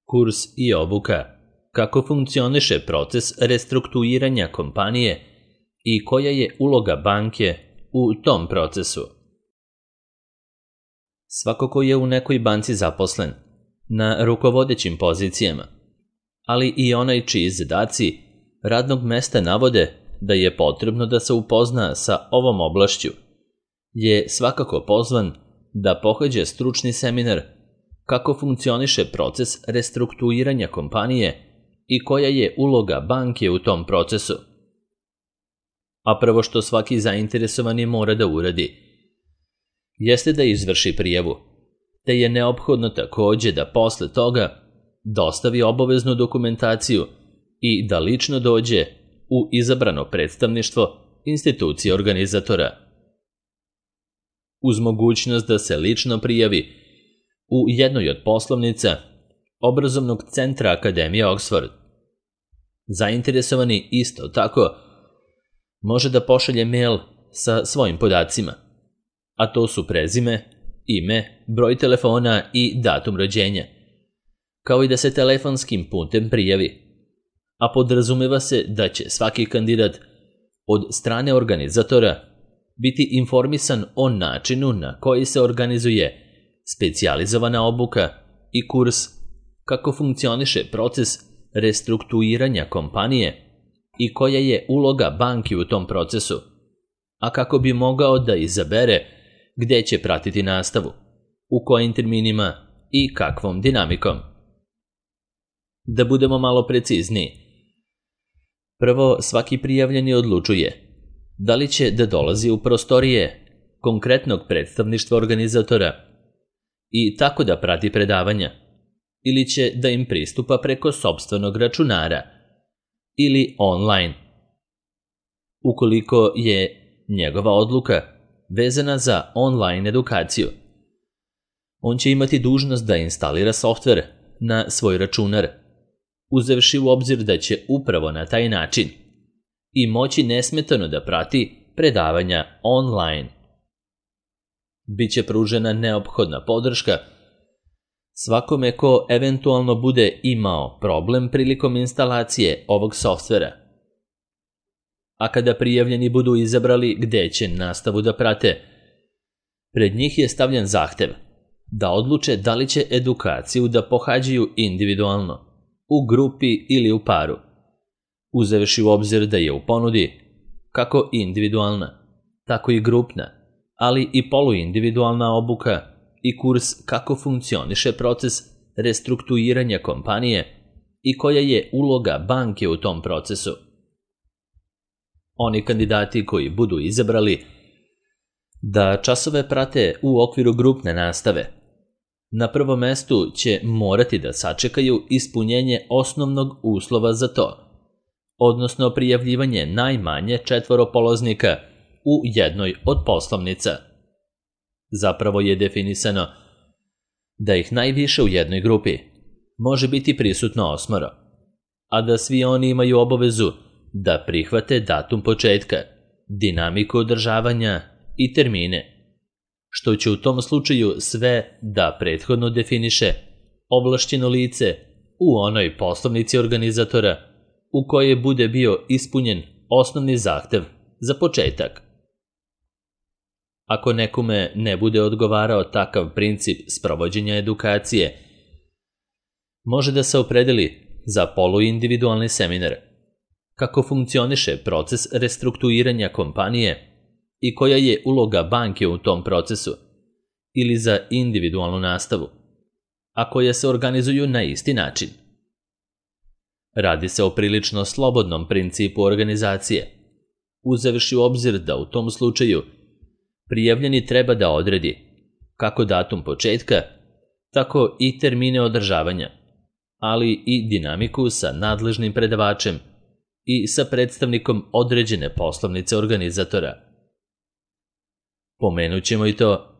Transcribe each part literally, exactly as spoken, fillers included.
Kurs i obuka kako funkcioniše proces restrukturiranja kompanije i koja je uloga banke u tom procesu. Svako ko je u nekoj banci zaposlen, na rukovodećim pozicijama, ali i onaj čiji zadaci radnog mesta navode da je potrebno da se upozna sa ovom oblašću, je svakako pozvan da pohađa stručni seminar kako funkcioniše proces restrukturiranja kompanije i koja je uloga banke u tom procesu. A prvo što svaki zainteresovani mora da uradi jeste da izvrši prijavu, te je neophodno takođe da posle toga dostavi obaveznu dokumentaciju i da lično dođe u izabrano predstavništvo institucije organizatora. Uz mogućnost da se lično prijavi u jednoj od poslovnica obrazovnog centra Akademije Oxford, zainteresovani isto tako može da pošalje mail sa svojim podacima, a to su prezime, ime, broj telefona i datum rođenja, kao i da se telefonskim putem prijavi, a podrazumeva se da će svaki kandidat od strane organizatora biti informisan o načinu na koji se organizuje specijalizovana obuka i kurs kako funkcioniše proces restrukturiranja kompanije i koja je uloga banke u tom procesu, a kako bi mogao da izabere gde će pratiti nastavu, u kojim terminima i kakvom dinamikom. Da budemo malo precizniji, prvo svaki prijavljeni odlučuje da li će da dolazi u prostorije konkretnog predstavništva organizatora i tako da prati predavanja, ili će da im pristupa preko sopstvenog računara ili online. Ukoliko je njegova odluka vezana za online edukaciju, on će imati dužnost da instalira softver na svoj računar, uzevši u obzir da će upravo na taj način i moći nesmetano da prati predavanja online. Biće pružena neophodna podrška svakome ko eventualno bude imao problem prilikom instalacije ovog softvera. A kada prijavljeni budu izabrali gde će nastavu da prate, pred njih je stavljen zahtev da odluče da li će edukaciju da pohađaju individualno, u grupi ili u paru, uzevši u obzir da je u ponudi kako individualna, tako i grupna, ali i poluindividualna obuka i kurs kako funkcioniše proces restrukturiranja kompanije i koja je uloga banke u tom procesu. Oni kandidati koji budu izabrali da časove prate u okviru grupne nastave, na prvom mestu će morati da sačekaju ispunjenje osnovnog uslova za to, odnosno prijavljivanje najmanje četvoro polaznika u jednoj od poslovnica. Zapravo je definisano da ih najviše u jednoj grupi može biti prisutno osmoro, a da svi oni imaju obavezu da prihvate datum početka, dinamiku održavanja i termine, što će u tom slučaju sve da prethodno definiše ovlašćeno lice u onoj poslovnici organizatora u kojoj bude bio ispunjen osnovni zahtev za početak. Ako nekome ne bude odgovarao takav princip sprovođenja edukacije, može da se opredeli za poluindividualni seminar, kako funkcioniše proces restrukturiranja kompanije i koja je uloga banke u tom procesu, ili za individualnu nastavu, a koje se organizuju na isti način. Radi se o prilično slobodnom principu organizacije, uzevši u obzir da u tom slučaju prijavljeni treba da odredi kako datum početka, tako i termine održavanja, ali i dinamiku sa nadležnim predavačem i sa predstavnikom određene poslovnice organizatora. Pomenut ćemo i to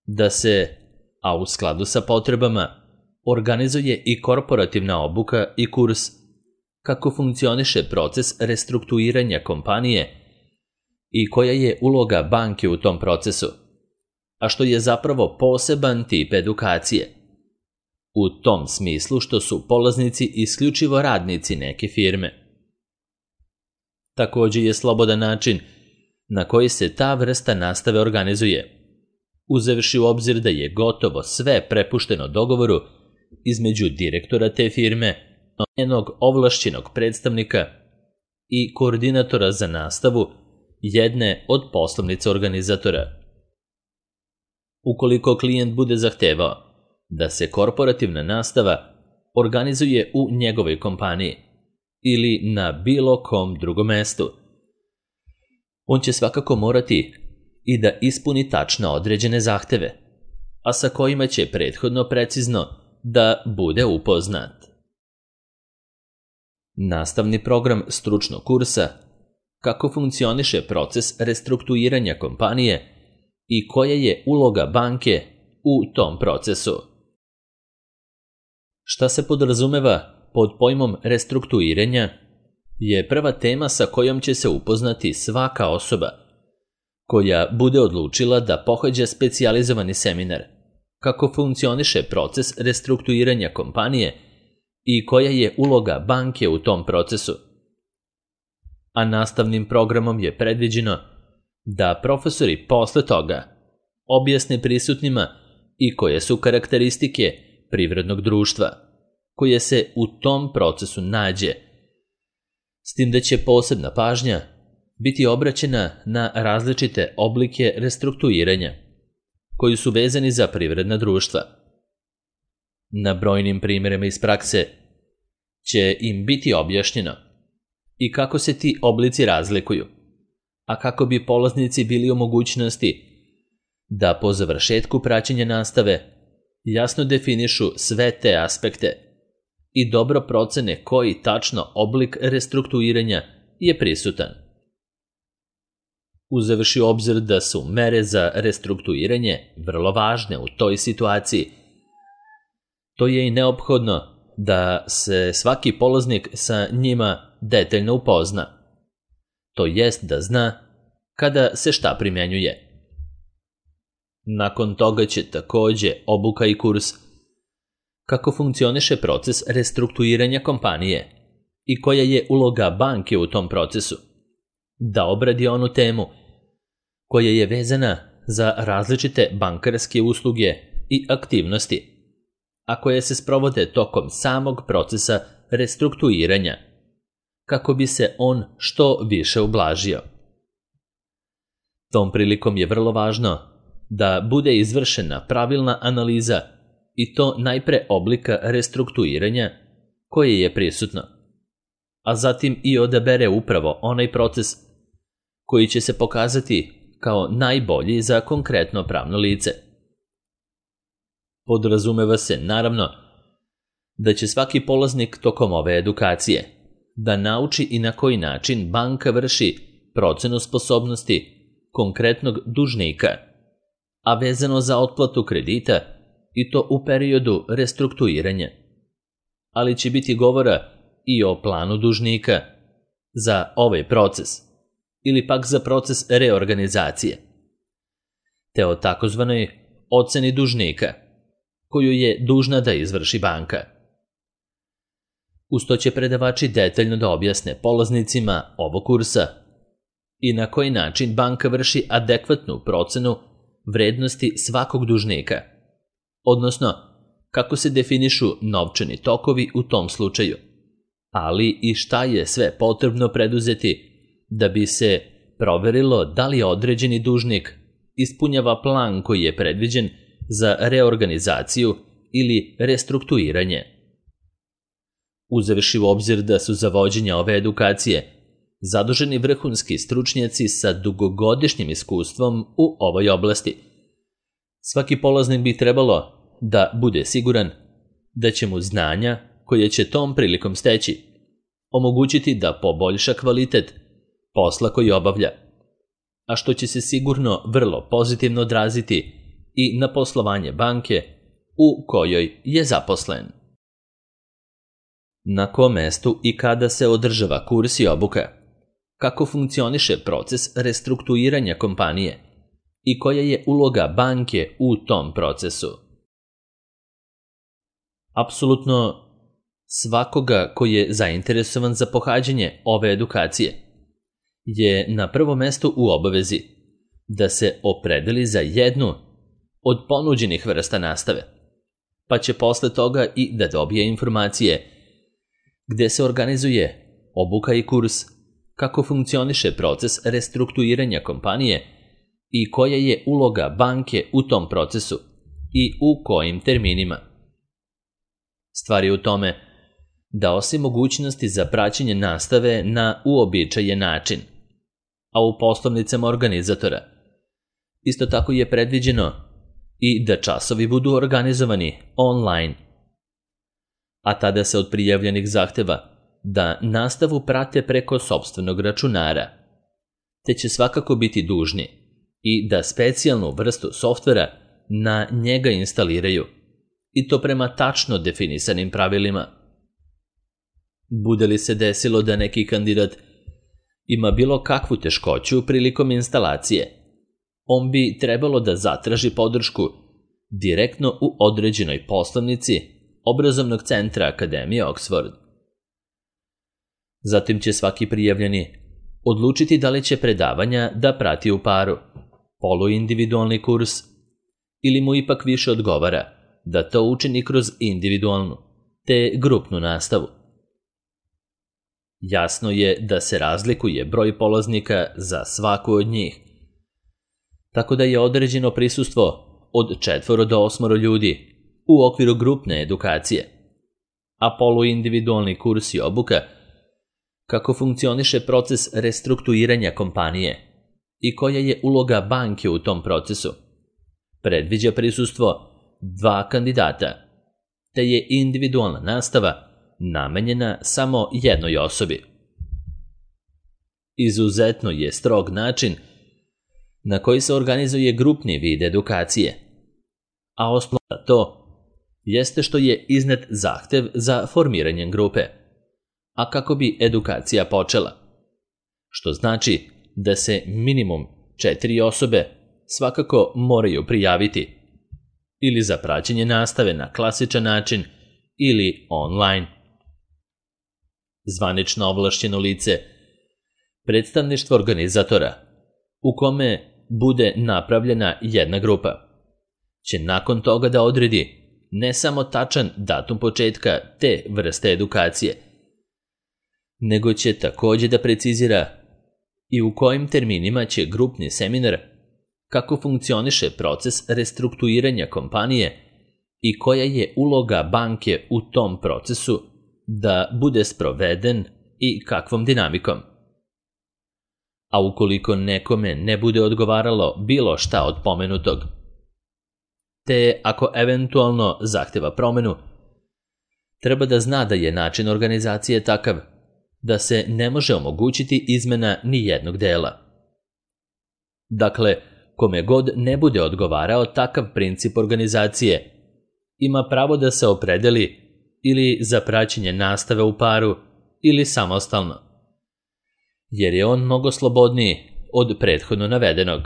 da se, a u skladu sa potrebama, organizuje i korporativna obuka i kurs kako funkcioniše proces restrukturiranja kompanije i koja je uloga banke u tom procesu, a što je zapravo poseban tip edukacije. u tom smislu što su polaznici isključivo radnici neke firme. Također je slobodan način na koji se ta vrsta nastave organizuje, uzevši u obzir da je gotovo sve prepušteno dogovoru između direktora te firme, njenog ovlašćenog predstavnika i koordinatora za nastavu jedne od poslovnica organizatora. Ukoliko klijent bude zahtevao da se korporativna nastava organizuje u njegovoj kompaniji ili na bilo kom drugom mestu, on će svakako morati i da ispuni tačno određene zahteve, a sa kojima će prethodno precizno da bude upoznat. Nastavni program stručnog kursa kako funkcioniše proces restrukturiranja kompanije i koja je uloga banke u tom procesu. Šta se podrazumeva pod pojmom restrukturiranja je prva tema sa kojom će se upoznati svaka osoba koja bude odlučila da pohađa specijalizovani seminar kako funkcioniše proces restrukturiranja kompanije i koja je uloga banke u tom procesu. A nastavnim programom je predviđeno da profesori posle toga objasne prisutnima i koje su karakteristike privrednog društva koje se u tom procesu nađe, s tim da će posebna pažnja biti obraćena na različite oblike restrukturiranja koji su vezani za privredna društva. Na brojnim primjerima iz prakse će im biti objašnjeno i kako se ti oblici razlikuju, a kako bi polaznici bili u mogućnosti da po završetku praćenja nastave jasno definišu sve te aspekte i dobro procene koji tačno oblik restrukturiranja je prisutan. Uzevši u obzir da su mere za restrukturiranje vrlo važne u toj situaciji, to je i neophodno da se svaki polaznik sa njima detaljno upozna, to jest da zna kada se šta primjenjuje. Nakon toga će također obuka i kurs kako funkcioniše proces restrukturiranja kompanije i koja je uloga banke u tom procesu, da obradi onu temu koja je vezana za različite bankarske usluge i aktivnosti, a koje se sprovode tokom samog procesa restrukturiranja, kako bi se on što više ublažio. Tom prilikom je vrlo važno da bude izvršena pravilna analiza i to najpre oblika restrukturiranja koje je prisutno, a zatim i odabere upravo onaj proces koji će se pokazati kao najbolji za konkretno pravno lice. Podrazumeva se, naravno, da će svaki polaznik tokom ove edukacije da nauči i na koji način banka vrši procenu sposobnosti konkretnog dužnika, a vezano za otplatu kredita i to u periodu restrukturiranja. Ali će biti govora i o planu dužnika za ovaj proces ili pak za proces reorganizacije, te o takozvanoj oceni dužnika koju je dužna da izvrši banka. Uz to će predavači detaljno da objasne polaznicima ovog kursa i na koji način banka vrši adekvatnu procenu vrednosti svakog dužnika, odnosno kako se definišu novčani tokovi u tom slučaju, ali i šta je sve potrebno preduzeti da bi se proverilo da li određeni dužnik ispunjava plan koji je predviđen za reorganizaciju ili restrukturiranje. Uzevši u obzir da su za vođenje ove edukacije zaduženi vrhunski stručnjaci sa dugogodišnjim iskustvom u ovoj oblasti, svaki polaznik bi trebalo da bude siguran da će mu znanja koje će tom prilikom steći omogućiti da poboljša kvalitet posla koji obavlja, a što će se sigurno vrlo pozitivno odraziti i na poslovanje banke u kojoj je zaposlen. Na kom mestu i kada se održava kurs i obuka, kako funkcioniše proces restrukturiranja kompanije i koja je uloga banke u tom procesu. apsolutno svakoga koji je zainteresovan za pohađanje ove edukacije je na prvom mestu u obavezi da se opredeli za jednu od ponuđenih vrsta nastave, pa će posle toga i da dobije informacije gde se organizuje obuka i kurs, kako funkcioniše proces restrukturiranja kompanije i koja je uloga banke u tom procesu i u kojim terminima. Stvar je u tome da osim mogućnosti za praćenje nastave na uobičajen način, a u poslovnicama organizatora, isto tako je predviđeno i da časovi budu organizovani online, a tada se od prijavljenih zahteva da nastavu prate preko sopstvenog računara, te će svakako biti dužni i da specijalnu vrstu softvera na njega instaliraju, i to prema tačno definisanim pravilima. Bude li se desilo da neki kandidat ima bilo kakvu teškoću prilikom instalacije, on bi trebalo da zatraži podršku direktno u određenoj poslovnici obrazovnog centra Akademije Oxford. Zatim će svaki prijavljeni odlučiti da li će predavanja da prati u paru, poluindividualni kurs, ili mu ipak više odgovara da to učini kroz individualnu te grupnu nastavu. Jasno je da se razlikuje broj polaznika za svaku od njih, tako da je određeno prisustvo od četvoro do osmoro ljudi u okviru grupne edukacije, a poluindividualni kurs i obuka kako funkcioniše proces restrukturiranja kompanije i koja je uloga banke u tom procesu, predviđa prisustvo dva kandidata, te je individualna nastava namenjena samo jednoj osobi. Izuzetno je strog način na koji se organizuje grupni vid edukacije, a osnov za to jeste što je iznet zahtev za formiranjem grupe, a kako bi edukacija počela, što znači da se minimum četiri osobe svakako moraju prijaviti ili za praćenje nastave na klasičan način ili online. Zvanično ovlašćeno lice, predstavništvo organizatora, u kome bude napravljena jedna grupa, će nakon toga da odredi ne samo tačan datum početka te vrste edukacije, nego će takođe da precizira i u kojim terminima će grupni seminar, kako funkcioniše proces restrukturiranja kompanije i koja je uloga banke u tom procesu, da bude sproveden i kakvom dinamikom. A ukoliko nekome ne bude odgovaralo bilo šta od pomenutog, te ako eventualno zahteva promenu, treba da zna da je način organizacije takav da se ne može omogućiti izmena ni jednog dela. Dakle, kome god ne bude odgovarao takav princip organizacije, ima pravo da se opredeli ili za praćenje nastave u paru ili samostalno, jer je on mnogo slobodniji od prethodno navedenog.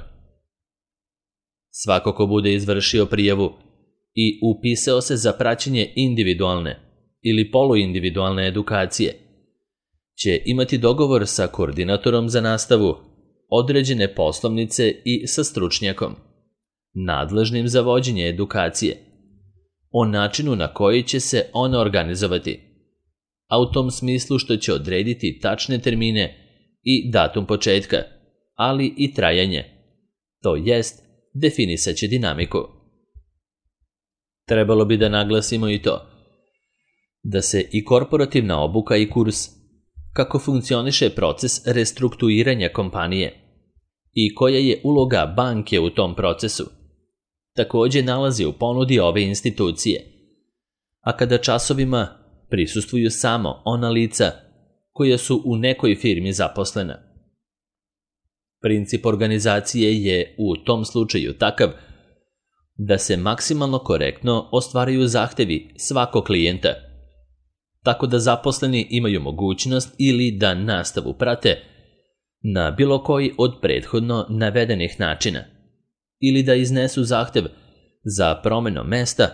Svako ko bude izvršio prijavu i upisao se za praćenje individualne ili poluindividualne edukacije, će imati dogovor sa koordinatorom za nastavu, određene poslovnice i sa stručnjakom, nadležnim za vođenje edukacije, o načinu na koji će se ona organizovati, a u tom smislu što će odrediti tačne termine i datum početka, ali i trajanje, to jest definisaće dinamiku. Trebalo bi da naglasimo i to da se i korporativna obuka i kurs, kako funkcioniše proces restrukturiranja kompanije i koja je uloga banke u tom procesu, takođe nalazi u ponudi ove institucije, a kada časovima prisustvuju samo ona lica koja su u nekoj firmi zaposlena. Princip organizacije je u tom slučaju takav da se maksimalno korektno ostvaraju zahtevi svakog klijenta, tako da zaposleni imaju mogućnost ili da nastavu prate na bilo koji od prethodno navedenih načina, ili da iznesu zahtev za promenom mesta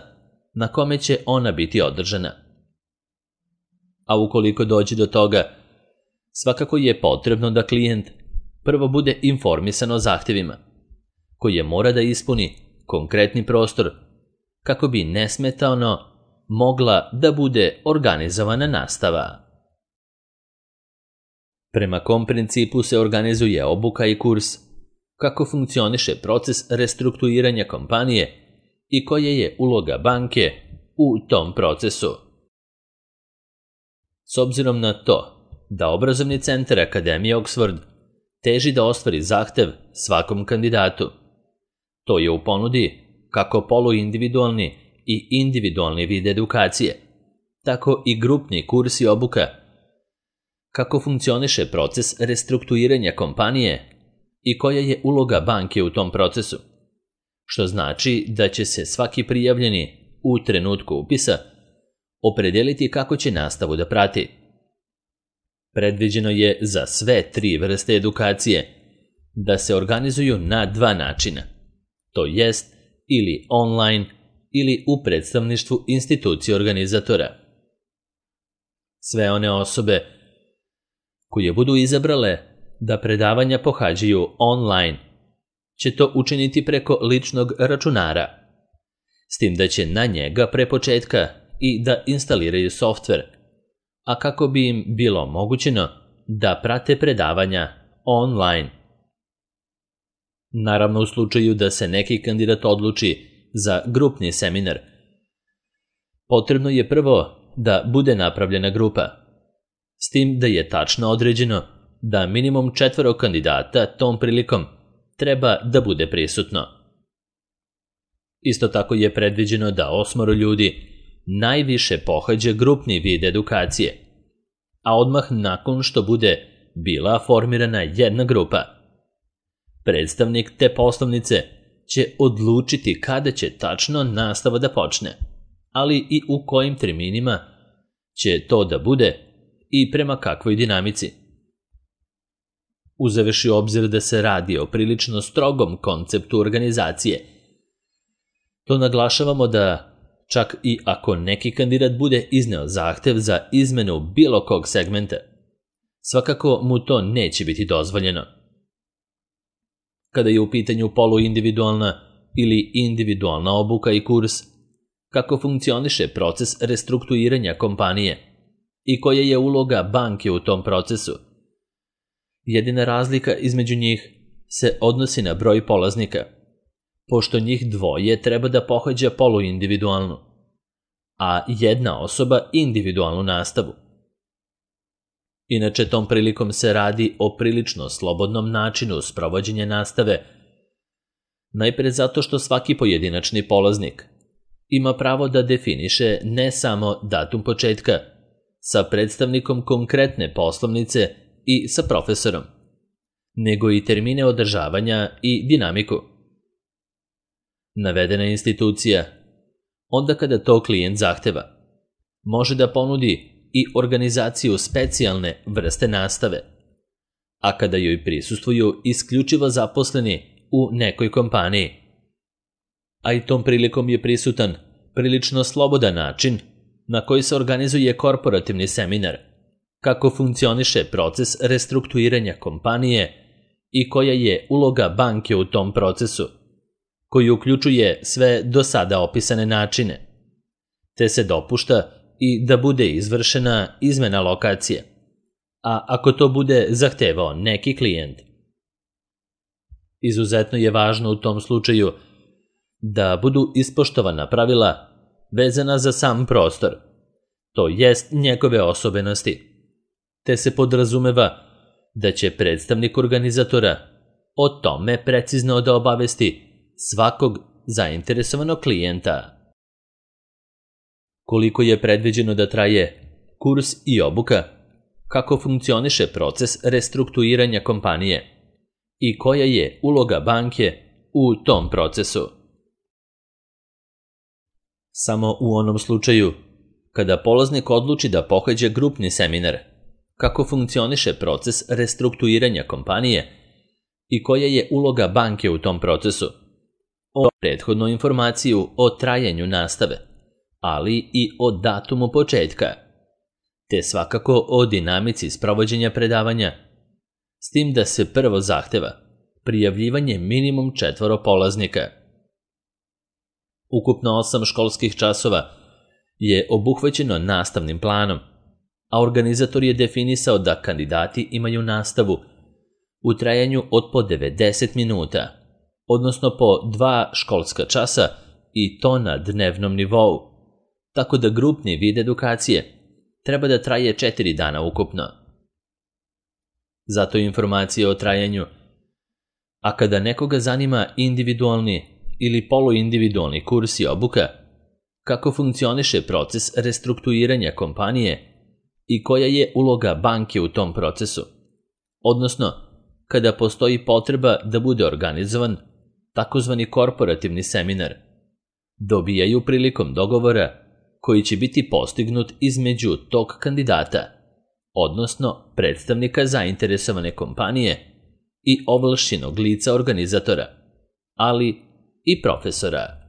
na kome će ona biti održana. A ukoliko dođe do toga, svakako je potrebno da klijent prvo bude informisan o zahtjevima, koje mora da ispuni konkretni prostor kako bi nesmetano mogla da bude organizovana nastava. Prema kom principu se organizuje obuka i kurs, kako funkcioniše proces restrukturiranja kompanije i koja je uloga banke u tom procesu. S obzirom na to da obrazovni centar Akademije Oxford teži da ostvari zahtev svakom kandidatu, to je u ponudi kako poluindividualni i individualni vid edukacije, tako i grupni kurs i obuka, kako funkcioniše proces restrukturiranja kompanije i koja je uloga banke u tom procesu, što znači da će se svaki prijavljeni u trenutku upisa opredeliti kako će nastavu da prati. Predviđeno je za sve tri vrste edukacije da se organizuju na dva načina, to jest ili online ili u predstavništvu institucije organizatora. Sve one osobe koje budu izabrale da predavanja pohađaju online će to učiniti preko ličnog računara, s tim da će na njega pre početka i da instaliraju softver, a kako bi im bilo omogućeno da prate predavanja online. Naravno, u slučaju da se neki kandidat odluči za grupni seminar, potrebno je prvo da bude napravljena grupa, s tim da je tačno određeno da minimum četvoro kandidata tom prilikom treba da bude prisutno. Isto tako je predviđeno da osmoro ljudi najviše pohađa grupni vid edukacije, a odmah nakon što bude bila formirana jedna grupa, predstavnik te poslovnice će odlučiti kada će tačno nastava da počne, ali i u kojim terminima će to da bude i prema kakvoj dinamici. Uzevši u obzir da se radi o prilično strogom konceptu organizacije, to naglašavamo da čak i ako neki kandidat bude izneo zahtev za izmenu bilo kog segmenta, svakako mu to neće biti dozvoljeno. Kada je u pitanju poluindividualna ili individualna obuka i kurs, kako funkcioniše proces restrukturiranja kompanije i koja je uloga banke u tom procesu, jedina razlika između njih se odnosi na broj polaznika, pošto njih dvoje treba da pohađa poluindividualnu, a jedna osoba individualnu nastavu. Inače, tom prilikom se radi o prilično slobodnom načinu sprovođenja nastave, najpre zato što svaki pojedinačni polaznik ima pravo da definiše ne samo datum početka sa predstavnikom konkretne poslovnice i sa profesorom, nego i termine održavanja i dinamiku. Navedena institucija, onda kada to klijent zahteva, može da ponudi i organizaciju specijalne vrste nastave, a kada joj prisustvuju isključivo zaposleni u nekoj kompaniji. A i tom prilikom je prisutan prilično slobodan način na koji se organizuje korporativni seminar, kako funkcioniše proces restrukturiranja kompanije i koja je uloga banke u tom procesu, koji uključuje sve do sada opisane načine, te se dopušta i da bude izvršena izmena lokacije, a ako to bude zahtevao neki klijent. Izuzetno je važno u tom slučaju da budu ispoštovana pravila vezana za sam prostor, to jest njegove osobenosti, te se podrazumeva da će predstavnik organizatora o tome precizno da obavesti svakog zainteresovanog klijenta. Koliko je predviđeno da traje kurs i obuka, kako funkcioniše proces restrukturiranja kompanije i koja je uloga banke u tom procesu. Samo u onom slučaju kada polaznik odluči da pohađa grupni seminar, kako funkcioniše proces restrukturiranja kompanije i koja je uloga banke u tom procesu, o prethodnu informaciju o trajanju nastave, ali i o datumu početka, te svakako o dinamici sprovođenja predavanja, s tim da se prvo zahteva prijavljivanje minimum četvoro polaznika. Ukupno osam školskih časova je obuhvaćeno nastavnim planom, a organizator je definisao da kandidati imaju nastavu u trajanju od po devedeset minuta, odnosno po dva školska časa i to na dnevnom nivou, tako da grupni vid edukacije treba da traje četiri dana ukupno. Zato informacije o trajanju, a kada nekoga zanima individualni ili poluindividualni kurs i obuka, kako funkcioniše proces restrukturiranja kompanije i koja je uloga banke u tom procesu, odnosno kada postoji potreba da bude organizovan takozvani korporativni seminar, dobijaju prilikom dogovora koji će biti postignut između tog kandidata, odnosno predstavnika zainteresovane kompanije i ovlašćenog lica organizatora, ali i profesora.